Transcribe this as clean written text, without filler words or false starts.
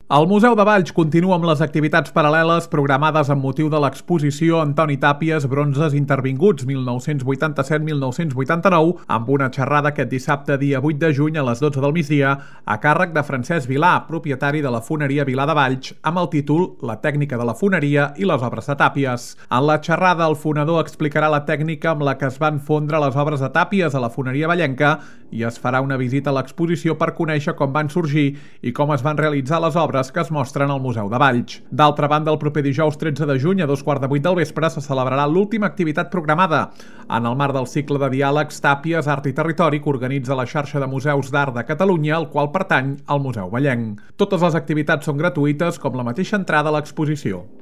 El Museu de Valls continua amb les activitats paral·leles programades amb motiu de l'exposició Antoni Tàpies Bronzes Intervinguts 1987-1989 amb una xerrada aquest dissabte dia 8 de juny a les 12 del migdia a càrrec de Francesc Vilà, propietari de la foneria Vilà de Valls, amb el títol La tècnica de la foneria i les obres de Tàpies. En la xerrada el fonedor explicarà la tècnica amb la que es van fondre les obres de Tàpies a la foneria vallenca i es farà una visita a l'exposició per conèixer com van sorgir i com es van realitzar les obres que es mostren al Museu de Valls. D'altra banda, el proper dijous 13 de juny a 2:15 del vespre se celebrarà l'última activitat programada en el marc del cicle de diàlegs Tàpies, Art i Territori que organitza la xarxa de museus d'art de Catalunya, al qual pertany el Museu Vallenc. Totes les activitats són gratuïtes, com la mateixa entrada a l'exposició.